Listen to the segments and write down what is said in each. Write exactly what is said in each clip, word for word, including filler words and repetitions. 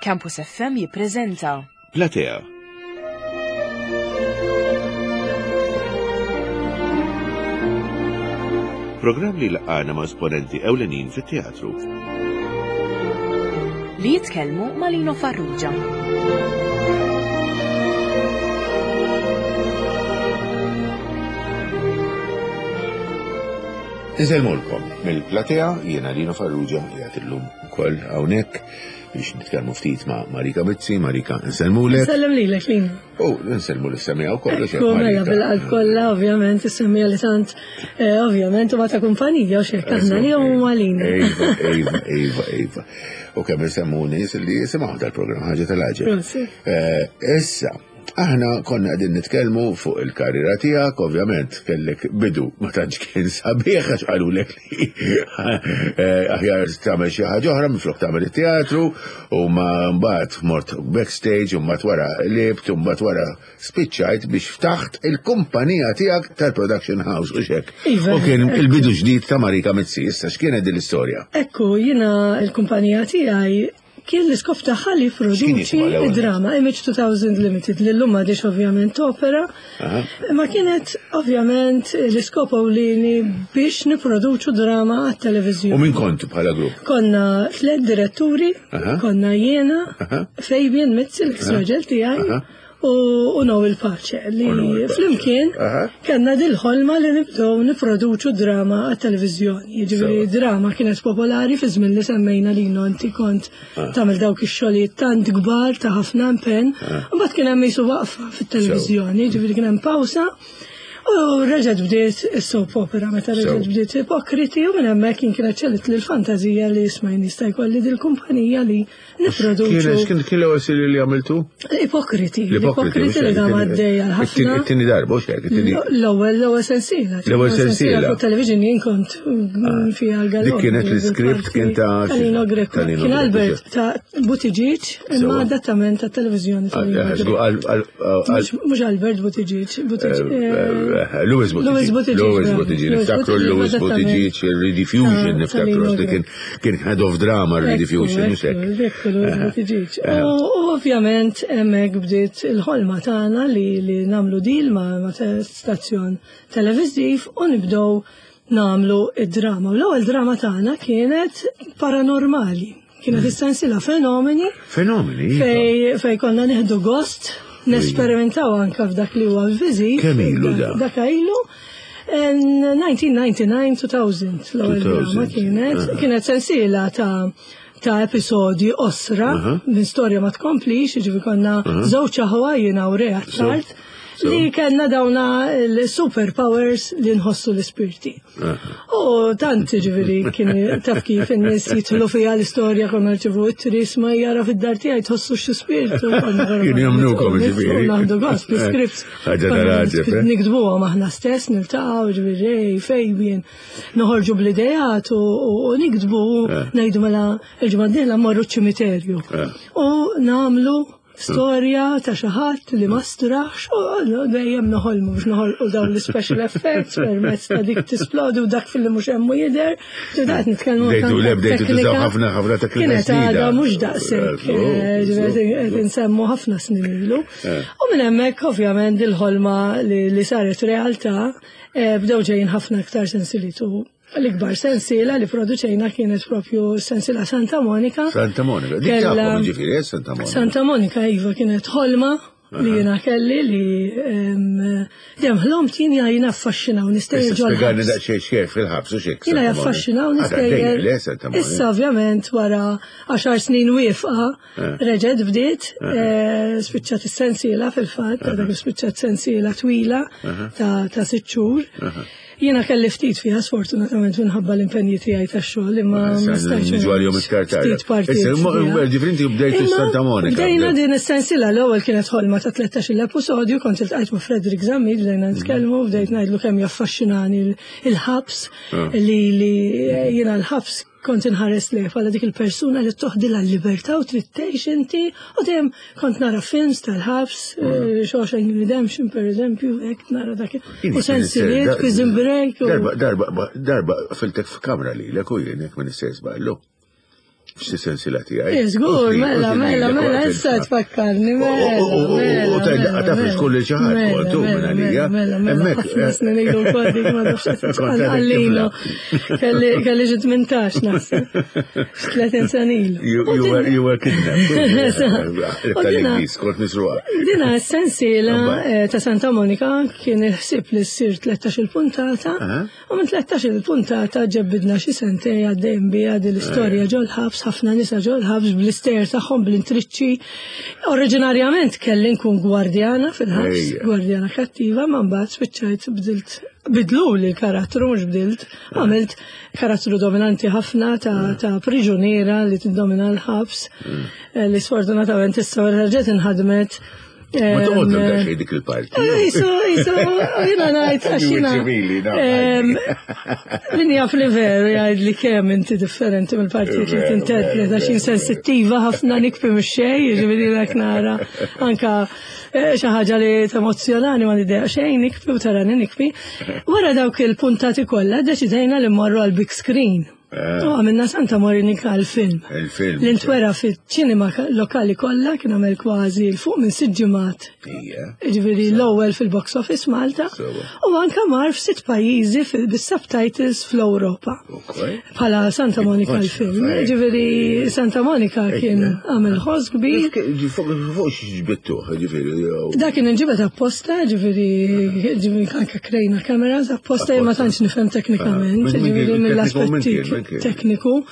Campus F M jippreżenta Platea. Programm li laqana ma' esponenti ewlenin fit-teatru. Li jitkellmu ma' Lino Farrugia. Insellmulkom mill-Platea, jiena Lino Farrugia, qiegħed illum ukoll hawnhekk biex nitkellmu ftit ma' Marika Mizzi. Marika, insellmulek. Sellem lilek, Lino. U nsellmu lis-semmiegħa wkoll. Ekku, mela, bil-qalb kollha, ovvjament, is-semmiegħa li tant, eh, ovvjament, u ma ta' kumpanija, u xek, aħna li huma malina. Iva, iva, iva, iva. U kemm insemmu nies li jisimgħu dal-programm, ħaġa tal-għaġeb. Prosit. Eh, Issa, aħna konna qegħdin nitkellmu fuq il-karriera tiegħek, ovvjament kellek bidu ma tantx kien sabiħ għax qalulek li eh, aħjar tagħmel xi ħaġa oħra minflok tagħmel it-teatru, u ma mbagħad mort backstage u mbagħad wara libt u mbagħad wara spiċċajt biex ftaħt il-kumpanija tiegħek tal-production house u xek. Iva. U kien il-bidu ġdid ta' Marika Mizzi, issa x'kienet din l-istorja? Ekku, jiena il-kumpanija tiegħi kien l-iskop tagħha li X'kien produċi jisimha l-ewwel? Drama Image two thousand Limited, li llum m'għadhiex ovvjament opera. Aha. Ma kienet ovvjament l-iskop ewlieni biex niproduċu drama għat-televiżjoni. U min kontu bħala grupp? Konna tliet diretturi, Aha. konna jiena, Aha. Fabian Mizzi, l-raġel tiegħi, Aha. u u Noel Pace, li U Noel Pace. flimkien Aha. kellna dil-ħolma li nibdew niproduċu drama għat-televiżjoni. Jiġifieri Sewa. drama kienet popolari fi żmien li semmejna li inti kont Ah. tagħmel dawk ix-xogħlijiet tant kbar ta' ħafna impenn. Ah. Mbagħad kien hemm qisu waqfa fit-televiżjoni, jiġifieri kien hemm pawsa. U reġgħet bdiet is-soap opera, meta reġgħet Sew. bdiet Ipokriti, u minn hemmhekk jien kienet ċellit li l-fantazija li isma' jista' jkolli dil-kumpanija li nipproduċu. Kien kien kien l-ewwel series li għamiltu? Ipokriti, l-Ipokriti li dam għaddejja ħafna. It-tieni darba, u xek, it-tieni. L-ewwel l-ewwel sensiela. L-ewwel sensiela. Fuq television jien kont mm, fiha l-gallon. Dik kienet l-script kien ta' Talino Greco. Talino Kien Greco, Albert ta' Buttigieg, imma Sewa. adattament ta' televizjoni Talino Greco. Mhux mhux Albert Buttigieg, Buttigieg. eh, Louis Buttigieg. Louis Buttigieg, Louis bravo. Buttigieg. Louis Niftakru Buttigieg, Louis adattament. Buttigieg, il-Rediffusion, Ta' niftakru, Talino li kien kien head of drama Rediffusion, mhux hekk. Ekku, Louis Buttigieg. U u ovvjament hemmhekk bdiet il-ħolma tagħna li li nagħmlu deal ma' ma' te- stazzjon televiżiv u nibdew nagħmlu id-drama. U l-ewwel drama tagħna kienet paranormali. Kienet is-sensiela Fenomeni Fenomeni. iva. fej fej konna nieħdu gost nesperimentaw anka f'dak li huwa viżiv. Kemm ilu da? Dak ilu. elf disa' mija u disgħa u disgħin-elfejn, l-ewwel drama elfejn. kienet Aha. kienet sensiela ta' ta' episodji qosra Aha. minn storja ma tkomplix, jiġifieri konna żewġ aħwa, jiena u Rea Tard, So. li kellna dawna l-superpowers li nħossu l-ispirti. U tant ġifieri kien taf kif in-nies jidħlu fiha l-istorja, konna rċevu it-tris ma jara fid-dar tiegħi tħossu xi spirtu. Kienu jemmnukom, ġifieri. Naħdu gost l-scripts. Ħaġa tal-għaġeb, eh? Niktbuhom aħna stess, niltaqgħu, ġifieri Ray, Fabian, noħorġu bl-ideat u u niktbu, Eh. ngħidu mela il-ġimgħa d-dieħla mmorru ċ-ċimiterju. Eh. U nagħmlu storja ta' xi ħadd li ma straħx u dejjem noħolmu biex noħolqu dawn l-special effects permezz ta' dik tisplodi u dak fil-li mhux hemm u jidher. Ġifieri qed nitkellmu Bdejtu anke le, bdejtu tużaw teknika. ħafna- ħafna teknika Kienet ġdida. għadha mhux daqshekk, Eh, eh, ġifieri qed insemmu ħafna snin ilu. U minn hemmhekk ovvjament il-ħolma li li saret realtà, eh, bdew ġejjin ħafna aktar sensiliet u l-ikbar sensiela li produċejna kienet propju sensiela Santa Monica. Santa Monica. Dik Kella- tafhom ġifieri, eh, Santa Monica. Santa Monica, iva, kienet ħolma li jena kelli li em, dejjem ħlomt jien jien affaxxinaw Issa nistejjer ġol spjegani ħabs. daqsxejn xejn fil-ħabs u xek. Jiena jaffaxxinaw nistejjer. Le, Santa Monica. Issa ovvjament wara għaxar snin wieqfa Eh. reġgħet bdiet, eh, spiċċat is-sensiela fil-fatt, dak spiċċat sensiela twila ta' ta' sitt xhur. Jiena kelli ftit fiha sfortunatament minħabba l-impenji tiegħi tax-xogħol, imma ma stajtx Niġu għal-jom iktar tard. Ftit partijiet Issa, fiha. ġifieri inti bdejtu Imma Santa Monica. Bdejna din is-sensiela, l-ewwel kienet ħolma ta' tlettax-il episodju, kont iltqajt ma' Frederick Zammit, bdejna nitkellmu, bdejt ngħidlu kemm jaffaxxinani il-ħabs, Ah. li li jiena l-ħabs kont inħares li bħala dik il-persuna li toħdilha l-libertà u trid tgħix inti, u dejjem kont nara films tal-ħabs, eh, Shawshank Redemption per eżempju, hekk nara dak u sensiliet, Prison Break. u- Darba, darba, darba, filtek f'kamra li l u jien jekk ma nistgħix żballu. Xi sensila tiegħi. Żgur, mela, mela, mela, issa tfakkarni, mela. U tajda taf li tkun li xi ħadd kontu minn għalija. Mela, mela, ħafna snin ilu wkoll dik ma nafx għallinu. Kelli xi tmintax naħseb. Tletin sena ilu. You were kidnapped. Tal-Ingliż, kont misruqa. Dina s-sensiela ta' Santa Monica kien il-ħsieb li ssir tlettax-il puntata u minn tlettax-il puntata ġebbidna xi sentej għaddejn biha din l-istorja ġol-ħabs, ħafna nisa ġol-ħabs bl-istejjer tagħhom, bl-intriċċi. Oriġinarjament kelli nkun gwardjana fil-ħabs, gwardjana kattiva, ma mbagħad spiċċajt bdilt, bidlu li l-karattru, mhux bdilt, għamilt karattru dominanti ħafna ta', ta' priġuniera li tiddomina l-ħabs, li sfortunatament issa reġgħet inħadmet. Ma toqgħod daqsxejn dik il-parti. Isu, isu, jiena ngħid għax jiena. Min jaf li veru jgħid li kemm inti differenti mill-partijiet li tinterpreta, għax jien sensittiva ħafna, nikbi mhux xejn, jiġifieri dak nara anka xi ħaġa li temozzjonani ma nidejaq xejn, nikbi u tarani nikbi. Wara dawk il-puntati kollha deċidejna li mmorru għal big screen. U għamilna Santa Monica l-film. Il-film. L-intwera fil-ċinema lokali kollha, kien għamel kważi 'l fuq minn sitt ġimgħat. Ġifieri l-ewwel fil-box office Malta. U anka mar f'sitt pajjiżi bis-subtitles fl-Ewropa. Bħala Santa Monica l-film. Ġifieri Santa Monica kien għamel ħoss kbir. Fuq x'ġbittuh, ġifieri. Da kien inġibet apposta, ġifieri ġifieri anka krejna cameras apposta, ma tantx nifhem teknikament, ġifieri mill-aspetti tekniku.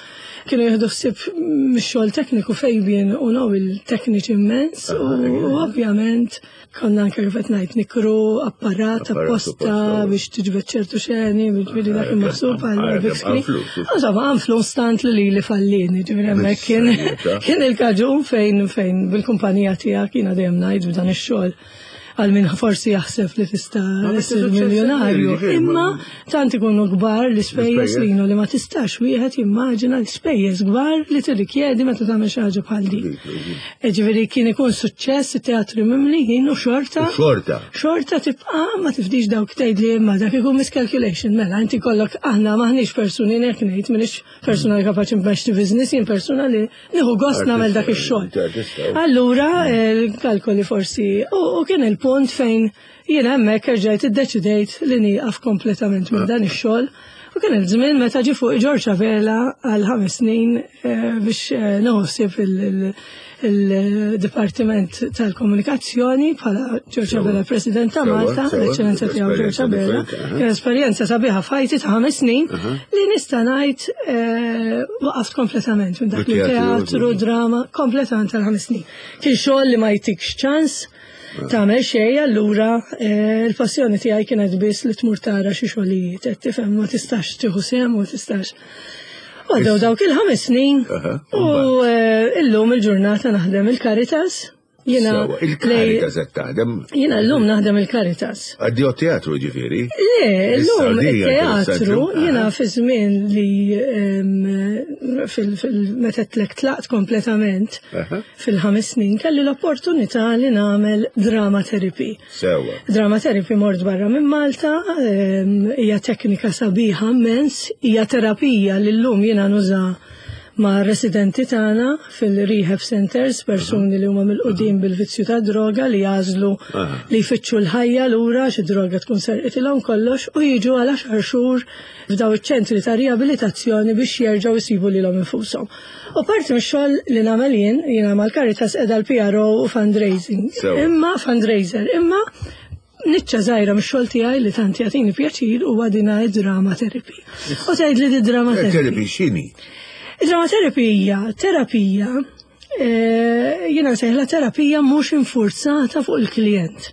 Kienu jieħdu ħsieb mix-xogħol tekniku Fabian u Noel, tekniċi immens, u ovvjament konna anke kif qed ngħid nikru apparat apposta biex tiġbed ċertu xeni, ġifieri dak maħsub għal big screen. Insomma, għamlu stant li li fallini, ġifieri hemmhekk kien kien il-kaġun fejn fejn bil-kumpanija tiegħek, jiena dejjem ngħid b'dan ix-xogħol, għal min forsi jaħseb li tista' issir miljonarju, imma tant ikunu kbar l-ispejjeż li li ma tistax wieħed jimmaġina l-ispejjeż kbar li tirrikjedi meta tagħmel xi ħaġa bħal din. Ġifieri kien ikun suċċess, it-teatri mimlijin u xorta. Xorta. Xorta tibqa' ma tifdix dawk tgħid li imma dak ikun miscalculation. Mela inti kollok, aħna maħniex persuni, hekk ngħid, m'iniex persuna li kapaċi nmexxi business, jien persuna li nieħu gost nagħmel dak ix-xogħol. Allura l-kalkoli forsi u kien il-punt fejn jiena hemmhekk erġajt iddeċidejt li nieqaf kompletament minn dan ix-xogħol. U kien il-żmien meta ġie fuq George Abela għal ħames snin biex noħsib il-Dipartiment tal-Komunikazzjoni bħala George Abela President ta' Malta, l-Eċċellenza tiegħu George Abela. Kien esperjenza sabiħa f'ħajti ta' ħames snin li nista' ngħid waqaft kompletament minn dak li teatru, drama, kompletament tal-ħames snin. Kien xogħol li ma jtikx ċans tagħmel xejn, allura il-passjoni tiegħi kienet biss li tmur tara xi xogħlijiet, qed tifhem, ma tistax tieħu sehem, ma tistax. Għaddew dawk il-ħames snin u illum il-ġurnata naħdem il-Caritas. Jiena il-Caritas qed taħdem? Jiena llum naħdem il-Caritas. Addio teatru ġifieri? Le, llum il-teatru jiena fi żmien li meta tlek tlaqt kompletament fil-ħames snin kelli l-opportunità li nagħmel drama therapy. Sewa. Drama therapy mort barra minn Malta, hija teknika sabiħa immens, hija terapija li llum jiena nuża ma' residenti tagħna fil-rehab centers, persuni li huma mill-qudiem bil-vizzju ta' droga li jażlu li jfittxu l-ħajja lura xi droga tkun serqitilhom kollox u jiġu għal għaxar xhur f'daw iċ-ċentri ta' riabilitazzjoni biex jerġgħu jsibu lilhom infushom. U parti mix-xogħol li nagħmel jien, jiena mal-Caritas qiegħda l-P R O u fundraising. Imma fundraiser, imma niċċa żgħira mix-xogħol tiegħi li tant jagħtini pjaċir huwa dina id-drama therapy. U tgħid li di drama therapy. Therapy x'inhi? Id-drama therapy hija terapija, jiena nsejħla terapija mhux infurzata fuq il-klient.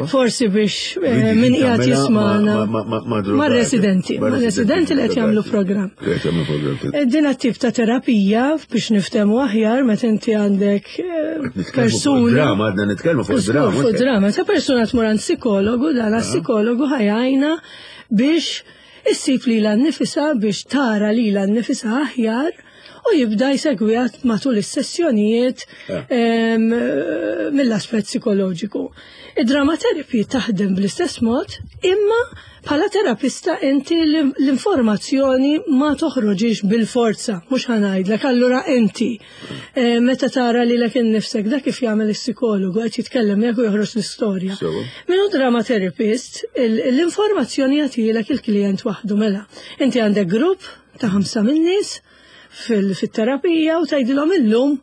Forsi biex min qiegħed jismana mar-residenti, mar-residenti li qed jagħmlu programm. Din tip ta' terapija biex niftehmu aħjar meta inti għandek persuna. Drama, għadna nitkellmu fuq drama. Fuq drama, ta' persuna tmur għand psikologu, dan psikologu ħajajna biex issib lilha nnifisha, biex tara lilha nnifisha aħjar u jibda jsegwiha matul is-sessjonijiet Eh. em, mill-aspett psikoloġiku. Id-drama therapy taħdem bl-istess mod, imma bħala terapista inti l-informazzjoni ma toħroġix bil-forza, mhux ħa ngħidlek, allura inti eh, meta tara li lek innifsek dak kif jagħmel is-psikologu qed jitkellem miegħek u joħroġ l-istorja. Sewa. Min hu drama therapist, il- l-informazzjoni jagħtilek il-klient waħdu mela. Inti għandek grupp ta' ħamsa min-nies fil-terapija u tgħidilhom illum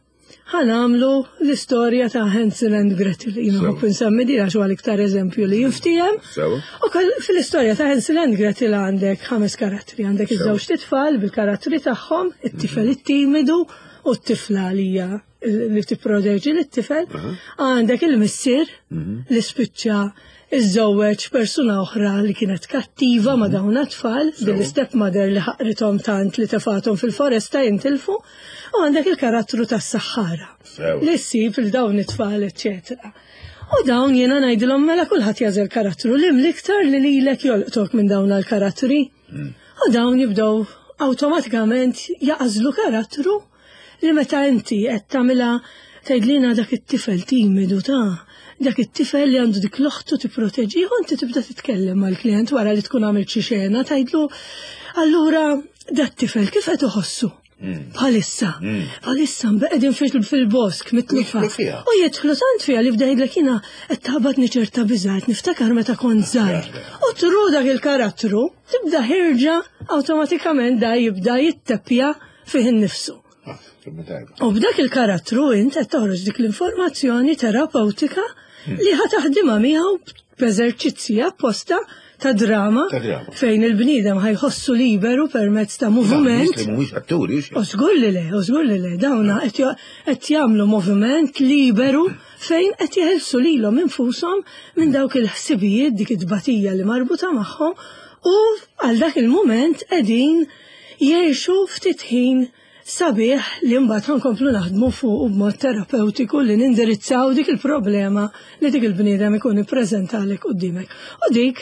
ħa nagħmlu l-istorja ta' Hansel and Gretel. Jiena Sewa. nħobb insemmi din għax huwa l-iktar eżempju li jinftiehem. Sewa. U koll- fil-istorja ta' Hansel and Gretel għandek ħames karattri, għandek Sewa. iż-żewġ tfal bil-karattri tagħhom, it-tifel it-timidu u t-tifla li hija li tipproteġi lit-tifel, għandek il-missier li spiċċa iżżewweġ persuna oħra li kienet kattiva ma' dawn it-tfal, bil-step mother li ħaqrithom tant li tefathom fil-foresta jintilfu, u għandek il-karattru tas-saħħara Sewa. li ssib il dawn it-tfal, eccetera. U dawn jiena ngħidilhom mela kulħadd jagħżel karattru li l-iktar li lilek jolqtok minn dawn l-karattri. U dawn jibdew awtomatikament jagħżlu karattru li meta inti qed tagħmilha tgħidlina dak it-tifel timidu ta' dak it-tifel li għandu dik l-oħtu tipproteġih u inti tibda titkellem mal-klient wara li tkun għamilt xi xena tgħidlu allura dat tifel kif qed iħossu? Bħalissa, bħalissa qegħdin fil- fil-bosk mitlufa. Jidħlu fiha. U jidħlu tant fiha li bda jgħidlek jiena qed taħbatni ċerta biża' qed niftakar meta kont żgħir. U through dak il-karattru tibda ħirġa awtomatikament da jibda jitteppja fih innifsu. Ah, kemm tajba. U b'dak il-karattru int qed toħroġ dik l-informazzjoni terapeutika li ħa taħdimha miegħu b'eżerċizzji apposta ta' drama, Ta' drama. fejn il-bniedem ħa jħossu liberu permezz ta' moviment. Li mhumiex atturi, xi. U żgur li le, u żgur li le, dawna qed jo- qed jagħmlu moviment liberu fejn qed jeħilsu lilhom infushom minn dawk il-ħsibijiet dik it-tbatija li marbuta magħhom u għal dak il-mument qegħdin jgħixu ftit ħin sabiħ li mbagħad ħa nkomplu naħdmu fuq b'mod terapeutiku li nindirizzaw dik il-problema li dik il-bniedem ikun ippreżentalek quddiemek. U dik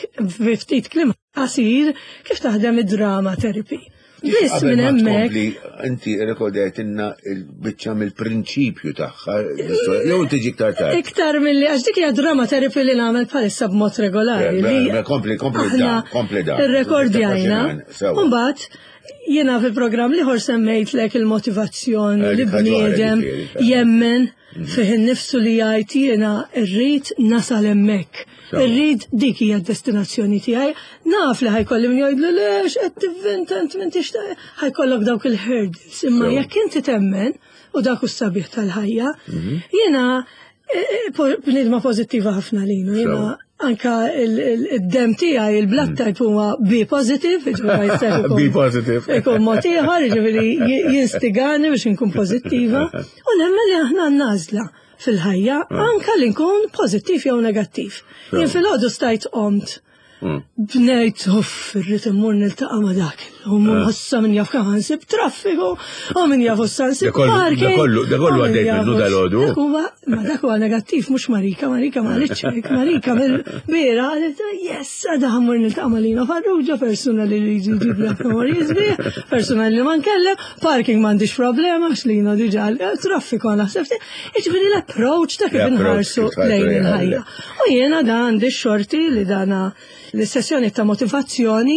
ftit kliem qasir kif taħdem id-drama therapy. Biss Qabel minn ma hemmhekk tkompli, inti rekordajtinna il-biċċa mill-prinċipju tagħha, l-istorja, jew tiġi iktar tard. Iktar mill-li, għax dik hija drama therapy li nagħmel bħalissa b'mod regolari. Eh, li mela, kompli, kompli aħna da, kompli da. Irrekordjajna. Sewa. Mbagħad jiena fil-programm l-ieħor semmejtlek il-motivazzjoni Eh, li dik ħaġa oħra, bniedem ġifieri, eh. jemmen fih innifsu li jgħid jiena rrid nasal hemmhekk. Sewa. Irrid dik hija d-destinazzjoni tiegħi. Naf li ħa jkolli min jgħidlu lex qed tivvinta int m'intix ta' ħa jkollok dawk il-hurdles. Imma Sewa. jekk inti temmen u dak hu s-sabiħ tal-ħajja, jiena eh, eh, po- bniedma pożittiva ħafna linu, jiena Sewa. anka il-dem tiegħi il-blood type huwa B positive, jiġifieri ma jistax ikun- B positive. Ikun mod ieħor, jiġifieri ji- jinstigani biex inkun pożittiva. U nemmen li aħna għandna fil-ħajja anka li nkun pożittiv jew negattiv. Jien filgħodu stajt qomt bnejt, uff, irrid immur niltaqa' ma' dak. U ħossa min jaf kemm nsib traffiku, u min jaf issa nsib Da kollu- da parking. kollu- da kollu u min għaddejt jaf minnu dal-għodu. Dak huwa, ma dak huwa negattiv, mhux Marika, Marika ma qalitx hekk, Marika mill-bira qalet, yes, għada ħa mmur niltaqa' ma' Lino Farrugia, persuna li li jġib li memorji sbieħ, persuna li ma nkellem, parking m'għandix problema, għax Lino diġà traffiku naħseb. Jiġifieri l-approach ta' kif L-approach inħarsu kif tħarsu lejn lejn il-ħajja. U jiena da għandi xorti li dana l-sessjoni ta' motivazzjoni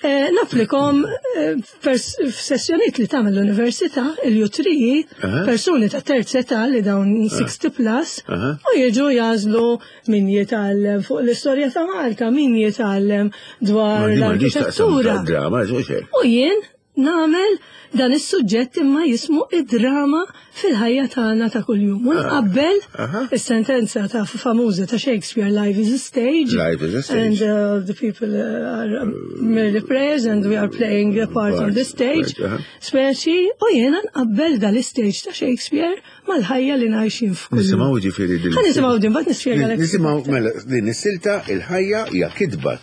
eh, napplikom eh, pers- f'sessjonijiet li tagħmel l-università, il-U three, Aha. persuni ta' terza età li dawn sixty plus, Aha. u jiġu jagħżlu min jitgħallem fuq l-istorja ta' Malta, min jitgħallem dwar Ma di m'għandix taqsam l-arkitettura. drama, xejn. U jien nagħmel dan is-suġġett imma jismu id-drama fil-ħajja tagħna ta' kuljum. U nqabbel Aha. is-sentenza ta' famuża ta' Shakespeare, "Life is a stage." Life is a stage. And uh, the people uh, are um, merely players and we are playing a part on the stage. Right, aha. Speċi, u jiena nqabbel dal-istage ta' Shakespeare mal-ħajja li ngħixin f'kull. Nisimgħu ġifieri din. Ħa nisimgħu din, mbagħad nispjegalek. Nisimgħu mela din is-silta il-ħajja hija kitba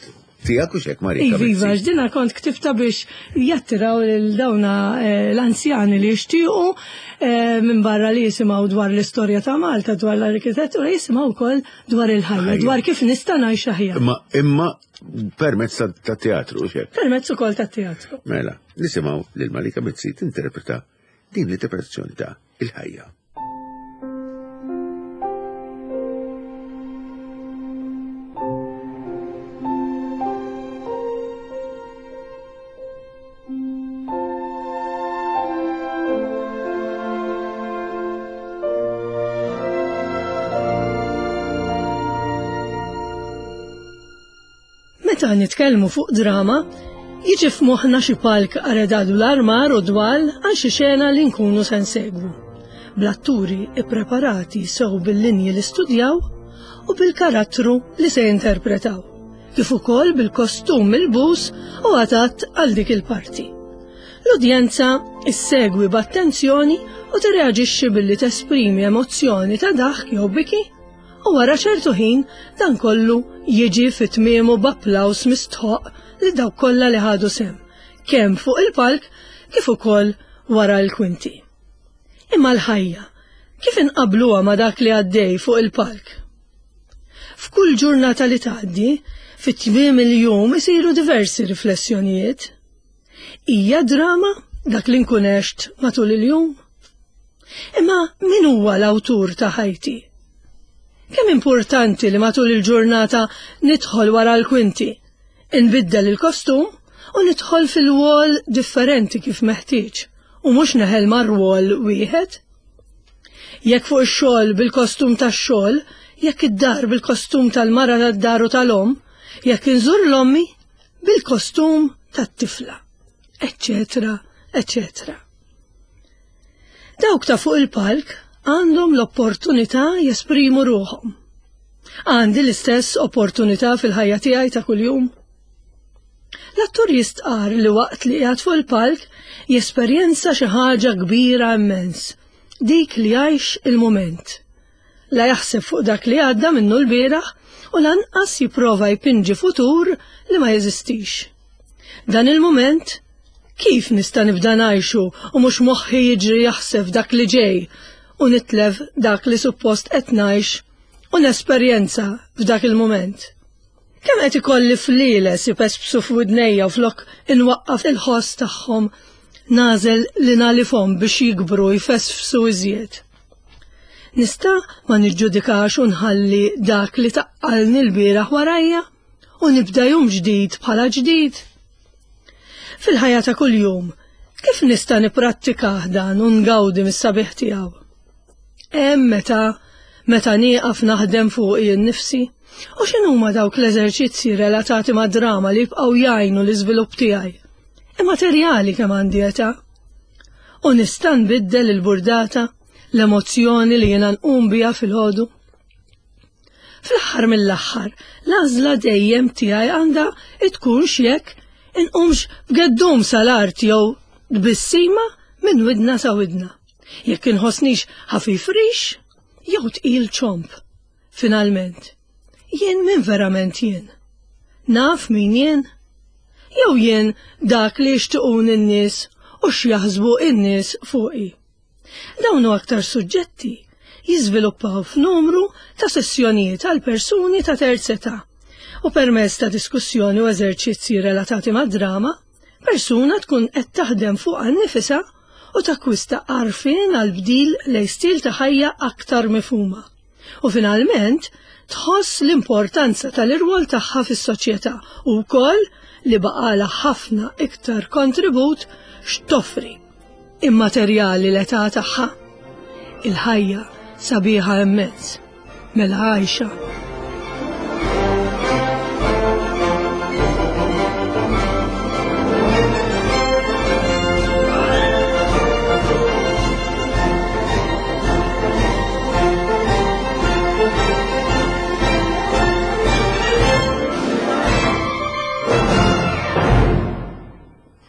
tiegħek u xek Marika. Iva, iva, Mizzi. ġdina kont ktibta biex jattiraw lil dawna eh, l-anzjani li jixtiequ eh, minn barra li jisimgħu dwar l-istorja ta' Malta, dwar l-arkitettura, jisimgħu wkoll dwar il-ħajja, Ħajja. dwar kif nista' ngħix aħjar. Imma imma permezz ta' ta' teatru xek. Permezz ukoll tat-teatru. Mela, nisimgħu lil Marika Mizzi tinterpreta din l-interpretazzjoni ta' il-ħajja. Meta nitkellmu fuq drama, jiġi f'moħħna xi palk aredadu l-armar u dwal għal xi xena li nkunu se nsegwu. Bl-atturi ippreparati sew bil-linji li studjaw u bil-karattru li se jinterpretaw, kif ukoll bil-kostum milbus u adatt għal dik il-parti. L-udjenza issegwi b'attenzjoni u tirreaġixxi billi tesprimi emozzjoni ta' daħk jew biki, u wara ċertu ħin dan kollu jiġi fi tmiemu b'applaws mistħoq li dawk kollha li ħadu sehem, kemm fuq il-palk kif ukoll wara l-kwinti. Imma l-ħajja, kif inqabluha ma' dak li għaddej fuq il-palk? F'kull ġurnata li tgħaddi, fit-tmiem il-jum isiru diversi riflessjonijiet. Hija drama dak li nkun għext matul il-jum? Imma min huwa l-awtur ta' ħajti? Kemm importanti li matul il-ġurnata nidħol wara l-kwinti, inbiddel il-kostum u nidħol fil-wol differenti kif meħtieġ u mhux neħel mar-rwol wieħed. Jekk fuq ix-xogħol bil-kostum tax-xogħol, jekk id-dar bil-kostum tal-mara tad-dar u tal-omm, jekk inżur l-ommi bil-kostum tat-tifla, eċċetera, eċċetera. Dawk ta' fuq il-palk għandhom l-opportunità jesprimu ruħhom. Għandi l-istess opportunità fil-ħajja tiegħi ta' kuljum. L-attur jistqar li waqt li qiegħed fuq il-palk jesperjenza xi ħaġa kbira immens, dik li jgħix il-mument. La jaħseb fuq dak li għadda minnu l-bieraħ u lanqas jipprova jpinġi futur li ma jeżistix. Dan il-mument kif nista' nibda ngħixu u mhux moħħi jiġri jaħseb dak li ġej u nitlef dak li suppost qed ngħix u nesperjenza f'dak il-mument. Kemm qed ikolli flieles ipespsu f'widnejja u flok inwaqqaf il-ħoss tagħhom nażel li nagħlifhom biex jikbru jfesfsu iżjed. Nista' ma niġġudikax u nħalli dak li taqqalni l-bieraħ warajja u nibda jum ġdid bħala ġdid. Fil-ħajja ta' kuljum, kif nista' nipprattikah dan u ngawdi mis-sabiħ tiegħu? Hemm meta meta nieqaf naħdem fuqi nnifsi, u x'inhuma dawk l-eżerċizzji relatati ma' drama li jibqgħu jgħinu l-iżvilupp tiegħi? Immaterjali kemm għandi età. U nista' nbiddel il-burdata, l-emozzjoni li jiena nqum biha fil-ħodu. Fl-aħħar mill-aħħar, l-għażla dejjem tiegħi għandha tkun x'jekk inqumx b'geddum sal-art jew tbissima minn widna sa widna. Jekk inħossnix ħafif rix jew tqil ċomp. Finalment, jien min verament jien? Naf min jien? Jew jien dak li jixtiequn in-nies u x'jaħsbu in-nies fuqi? Dawn hu aktar suġġetti jiżviluppaw f'numru ta' sessjonijiet għal persuni ta' terza età u permezz ta' diskussjoni u eżerċizzji relatati mad-drama, persuna tkun qed taħdem fuqha nnifisha u takkwista għarfien għal bdil lejn stil ta' ħajja aktar mifhuma. U finalment tħoss l-importanza tal-irwol tagħha fis-soċjetà u wkoll li baqala ħafna iktar kontribut x'toffri immaterjali l-età tagħha. Il-ħajja sabiħa immens, mela għajxa.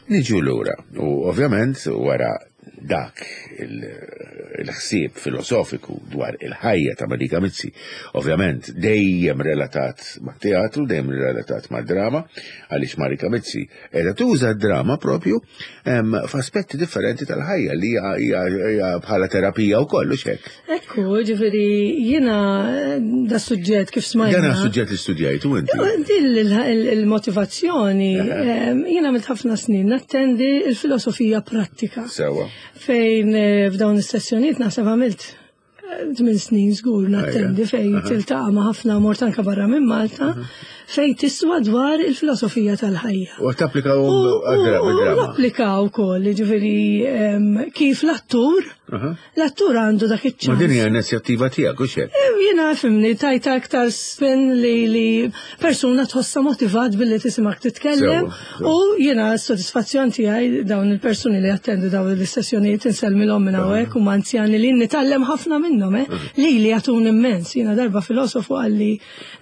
Niġu lura u ovvjament wara dak il-ħsieb filosofiku dwar il-ħajja ta' Marika Mizzi, ovvjament dejjem relatat ma' teatru, dejjem relatat ma' drama, għaliex Marika Mizzi qiegħda tuża d-drama propju f'aspetti differenti tal-ħajja li hija bħala terapija wkoll, u x'hekk. Ekku, ġifieri jiena da suġġett kif smajna. Dan suġġett li studjajtu inti. Din il-motivazzjoni jiena għamilt ħafna snin nattendi il-filosofija prattika. Sewa. Fejn eh, f'dawn is-sessjonijiet naħseb għamilt eh, tmien snin żgur nattendi fejn tiltaqa' ma' ħafna mort anke barra minn Malta fejn tiswa dwar il-filosofija tal-ħajja. U tapplikaw U għad-drama. u napplikaw ukoll, ġifieri em, kif l-attur, l-attur għandu dak Ma iċ-ċans. din hija inizjattiva tiegħek, u xek? Eh, Jiena fimni, tajta aktar spin li, li persuna tħossa motivat billi tisimak titkellem Sewa, sewa. u jiena s-sodisfazzjon tiegħi dawn il-persuni li attendu dawn l-istessjonijiet insellmilhom minn hawnhekk u anzjani li nitgħallem ħafna minnhom, eh, li li jagħtun immens. Jiena darba filosofu qalli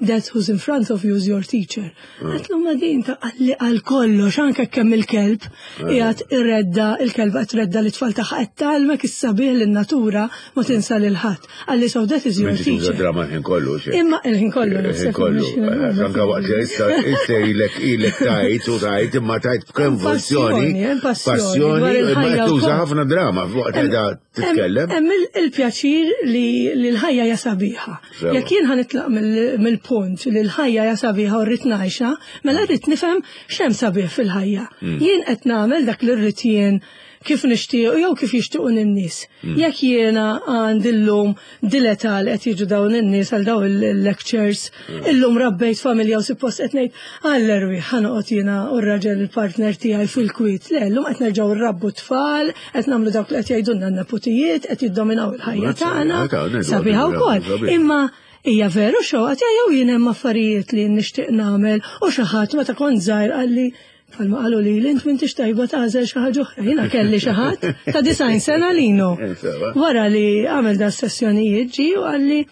that who's in front of you is your teacher. Għedtlu ma din ta' qalli għal kollox anke kemm il-kelb qiegħed irredda il-kelb qed redda l-itfal tagħha qed tgħallmek is-sabiħ lin-natura ma tinsa lil ħadd. Qalli so that is your M'intix tuża teacher. drama l-ħin kollu, xek? Imma il-ħin kollu Il-ħin naħseb kollu. mhix- Anka waqt li issa issa ilek ilek tajt u tajt imma tajt b'konvulsjoni. Passjoni, hemm passjoni Passjoni, dwar imma il-ħajja qed tuża wkoll. ħafna drama waqt li qiegħda titkellem. Hemm il- il-pjaċir li li l-ħajja hija sabiħa. Sewa. Jekk jien ħa nitlaq mill- mill-punt li l-ħajja hija sabiħa u rrid ngħixha, mela rrid nifhem x'hemm sabiħ fil-ħajja. Mm. Jien qed nagħmel dak li rrid jien kif nixtieq jew kif jixtiequ n-nies. Mm. Jekk jiena għandi llum dileta li qed jiġu dawn in-nies għal dawn il-lectures, Mm. illum rabbejt familja u suppost qed ngħid għall-erwi ħa noqgħod jiena u r-raġel il-partner tiegħi fil-kwiet. Le, llum qed nerġgħu nrabbu tfal, qed nagħmlu dawk li qed jgħidulna n-neputijiet, qed jiddominaw il-ħajja Mazza, tagħna. ta' ngħidu Sabiħa għadu, wkoll. sabiħ. Imma hija veru xewqa tiegħi jew jien hemm affarijiet li nixtieq nagħmel u xi ħadd meta kont żgħir qalli bħalma qalu li int m'intix tajba tagħżel xi ħaġa oħra. Jiena kelli xi ħadd ta' disgħin sena lino. Sewa. Wara li għamel da sessjonijiet ġi u qalli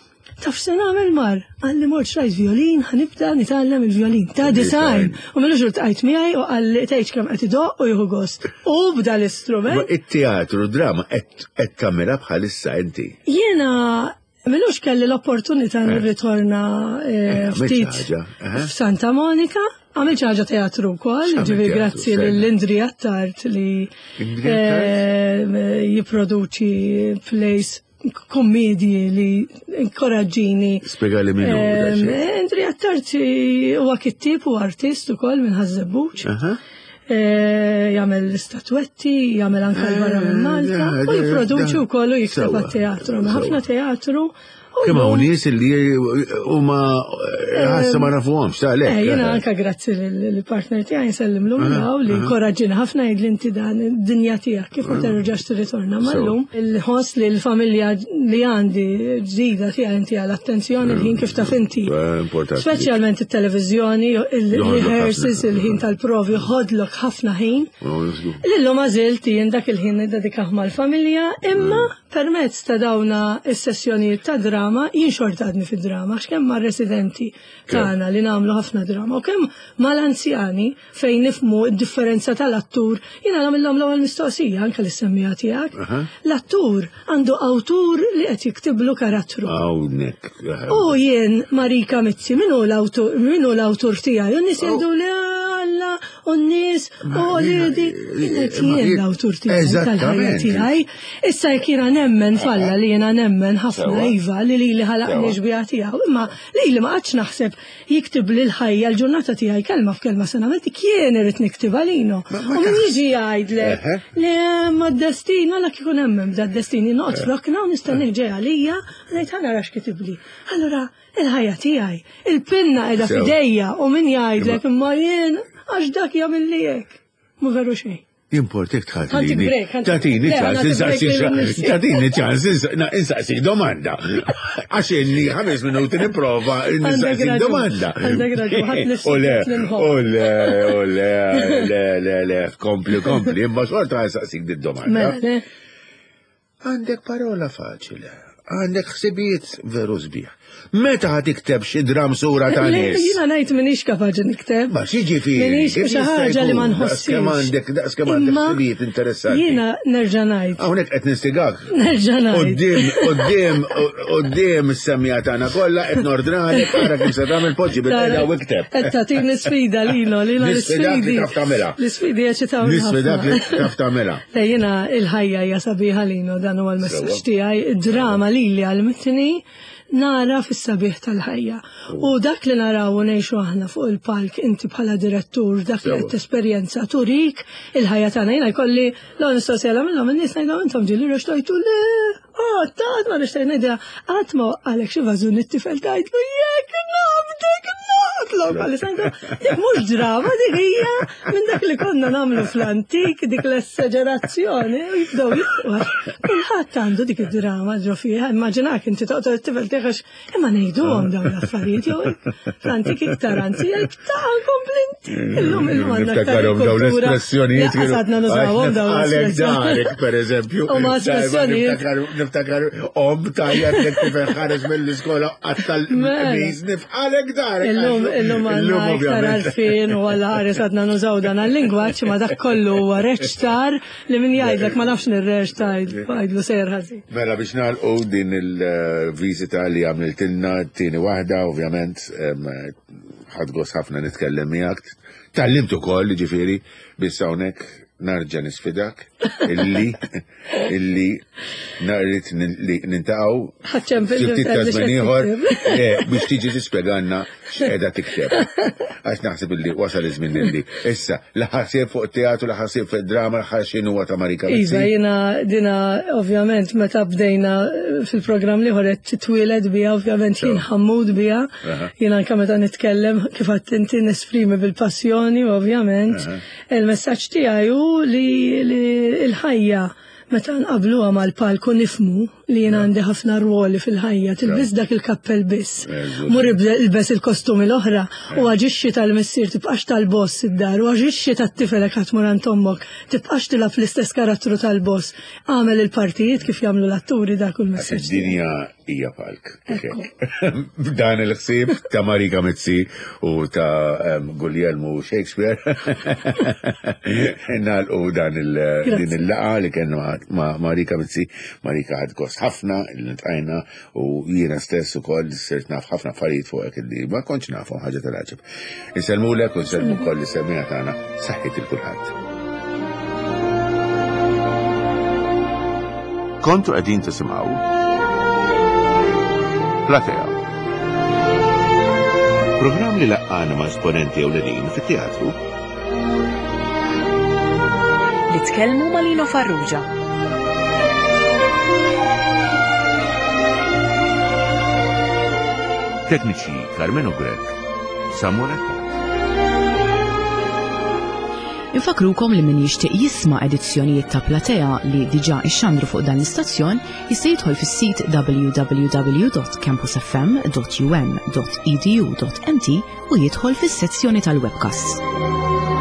taf se nagħmel mar, qalli mort xtrajt violin, ħa nibda nitgħallem il-violin ta' disgħin. U m'ilux iltqajt miegħi u qalli tgħidx kemm qed idoqq u jieħu gost. U bda Ma l-istrument. it-teatru, drama qed qed tagħmilha bħalissa inti. Jiena m'ilux kelli l-opportunità nirritorna eh, Eh, għamilt ftit ħaġa, eh? f'Santa Monica. Għamilt xi ħaġa teatru wkoll, X'għamilt ġifieri teatru, grazzi sejna? lil Indri Attard li Indri eh, jipproduċi plays kommedji li inkoraġġini. Spjega li min hu da Em, xejn. Indri Attard huwa kittib u artist ukoll minn Ħaż-Żebbuġ. Aha. Eh, jagħmel statwetti, jagħmel anke l barra minn Malta Eh, u jipproduċi da- wkoll u jikteb Sewa, għat-teatru. sewa. Ħafna teatru. u Kemm hawn llum- nies li huma ħassa ma nafuhomx ta' lek. Eh, jiena anka grazzi lill-partner tiegħi nsellimlu minn hawn li inkoraġġini ħafna jgħid li inti dan id-dinja tiegħek kif ma terġax tirritorna mal-lum. Il-ħoss li l-familja li għandi ġdida tiegħi inti għal attenzjoni il-ħin kif taf inti. Eh, Importanti. Speċjalment it-televiżjoni, il-rehearsals, il-ħin tal-provi ħodlok ħafna ħin. Oh, żgur. Lillum għażilt jien dak il-ħin niddedikah mal-familja, imma permezz ta' dawna is-sessjonijiet ta' drama, jien xorta għadni fid-drama, għax kemm mar-residenti tagħna li nagħmlu ħafna drama, u kemm mal-anzjani fejn nifmu d-differenza tal-attur, jiena nagħmilhom l-ewwel mistoqsija anke lis-semmija tiegħek. Aha. L-attur għandu awtur li qed jiktiblu karattru. Hawnhekk. U jien Marika Mizzi, min hu l-awtur, min hu l-awtur tiegħi? U n-nies jgħidu li Alla, u n-nies, u li di. Jien jien l-awtur tiegħi tal-ħajja Eżattament. tiegħi. Issa jekk jiena nemmen falla li jiena nemmen ħafna Sewa. iva li li li ħalaqni Sewa. xbieha tiegħu, imma li li ma qgħadx naħseb jiktib li l-ħajja l-ġurnata tiegħi kelma f'kelma se nagħmel dik jien irid niktibha lino. U min jiġi jgħidlek Eħe. li ma d-destin, għala kieku nemmen b'da d-destin, noqgħod f'rokna u nistenni ġej għalija, ngħid ħa nara x'kitibli. Allura, il-ħajja tiegħi, il-pinna qiegħda Sewa. f'idejja u min jgħidlek imma jien għax dak jagħmel li hekk. Mu veru xejn. Jimportek Ħantik tħallini. break, ħantik- Tatini Le, ċans, ħantik insaqsi break lil nifsi. Tatini ċans, insaqsi domanda. Għax inni ħames minuti nipprova nistaqsi raġun, domanda. għandek raġun, ħadd nifsi U le, li nħobb. u le, u le, le, le, le, kompli, kompli, imma xorta nsaqsik di domanda. Mela, le. Għandek parola faċile, għandek ħsibijiet veru sbieħ. Meta ħa tikteb xi dram sura ta' Le, nies? Jiena ngħid m'iniex kapaċi nikteb. Ma x'jiġifieri? M'iniex Kif xi jista' ħaġa li ma jkun? nħossix. Daqskemm għandek daqskemm għandek Imma ħsibijiet interessanti. Jiena nerġa' ngħid. Hawnhekk qed nistigak. Nerġa' ngħid. Quddiem, quddiem, quddiem is-semija tagħna kollha qed nordnalek ara kif se tagħmel poġġi bil-qeda u ikteb. Qed tagħtini sfida lilo, lilo Nisfidak li l-isfidi. taf tagħmilha. L-isfidi jeċitaw Nisfidak li taf tagħmilha. Le jiena il-ħajja hija sabiħa lino, dan huwa l-messaġġ Sewa. tiegħi. Id-drama lili għalmitni Nara fis-sabiħ tal-ħajja. U dak li naraw u ngħixu aħna fuq il-palk inti bħala direttur, dak li qed tesperjenza turik il-ħajja tagħna. Jiena jkolli l mistoqsija minnhom in-nies ngħidhom intom ġieli rextajtu le, oh, tat ma nixtieq ngħidha qatt ma għalek xi vażun it-tifel tgħidlu jekk nabdek noqtlok għalli ngħidha dik mhux drama dik hija minn dak li konna nagħmlu fl-antik dik l-esagerazzjoni u jibdew jibqgħu. Kulħadd għandu dik id-drama ġo fiha, immaġinak inti toqtol it-tifel tiegħek imma ngħiduhom dawn l-affarijiet jew fl-antik iktar anzi jekk ta' komplinti. Illum illum għandna aktar Niftakarhom dawn kultura. l-espressjonijiet. Lanqas għadna nużawhom dawn Għalek l-espressjonijiet. darek, per eżempju. U ma espressjonijiet. Niftakar, niftakar, om tajjeb li tifel ħareġ mill-iskola għattal Mela. miż nifqalek darek. Illum, illum għandna iktar għarfien u għalla ħares għadna nużaw dan għal-lingwaġġ ma dak kollu huwa reċtar li min jgħidlek ma nafx nirreċta għajdlu sejjer ħażin. Mela biex nagħlqu din il-viżita li għamiltilna t-tieni waħda, ovvjament, em, ħadt gost ħafna nitkellem miegħek. Tgħallimt ukoll, ġifieri, biss hawnhekk narġa' nisfidak illi illi narrid li niltaqgħu Ħaċċempel xi ftit ta' li żmien x'qed ieħor tikteb. eh, biex tiġi tispjegalna x'qiegħda tikteb. Għax naħseb illi wasal iż-żmien illi issa la ħsieb fuq teatru, la ħsieb fuq drama, la ħsieb huwa ta' Marika Iva, Mizzi. jina dina ovvjament meta bdejna fil-programm li ħoret titwieled bija, ovvjament jien ħammud bija, Aha. jien anka meta nitkellem kif għedt inti nesprimi bil-passjoni, ovvjament. Il-messaġġ tiegħi hu li li l-ħajja meta nqabluha mal-palku nifmu li jien għandi ħafna rwoli fil-ħajja, tilbis dak il-kappell biss. Eżatt. Mur ilbes il-kostumi l-oħra u aġixxi tal-missier tibqax tal-boss id-dar u aġixxi tat-tifel jekk tmur għand ommok, tibqax tilgħab l-istess karattru tal-boss. Għamel il-partijiet kif jagħmlu l-atturi dak u Għax l-messaġġ. tiegħi. id-dinja hija palk. B'dan il-ħsieb ta' Marika Mizzi u ta' em, Guglielmo Shakespeare. Nagħlqu dan il- Grazzi. din il-laqgħa li kellna ma' ma' Marika Mizzi. Marika ħadt gost ħafna li ltqajna u jiena stess ukoll sirt naf ħafna affarijiet fuqek illi ma kontx nafhom ħaġa tal-għaġeb. Insellmulek u nsellmu wkoll is-semmiegħa tagħna saħħit il kulħadd. Kontu qegħdin tisimgħu Platea. Programm li laqqana ma' esponenti ewlenin fit-teatru Li tkellmu ma' Lino Farrugia. Tekniċi Carmelo Grech, Samuel Attard. Infakrukom li min jixtieq jisma' edizzjonijiet ta' Platea li diġà ixxandru fuq dan l-istazzjon jista' jidħol fis-sit w w w dot campusfm dot u m dot e d u dot m t u jidħol fis-sezzjoni tal-webcasts.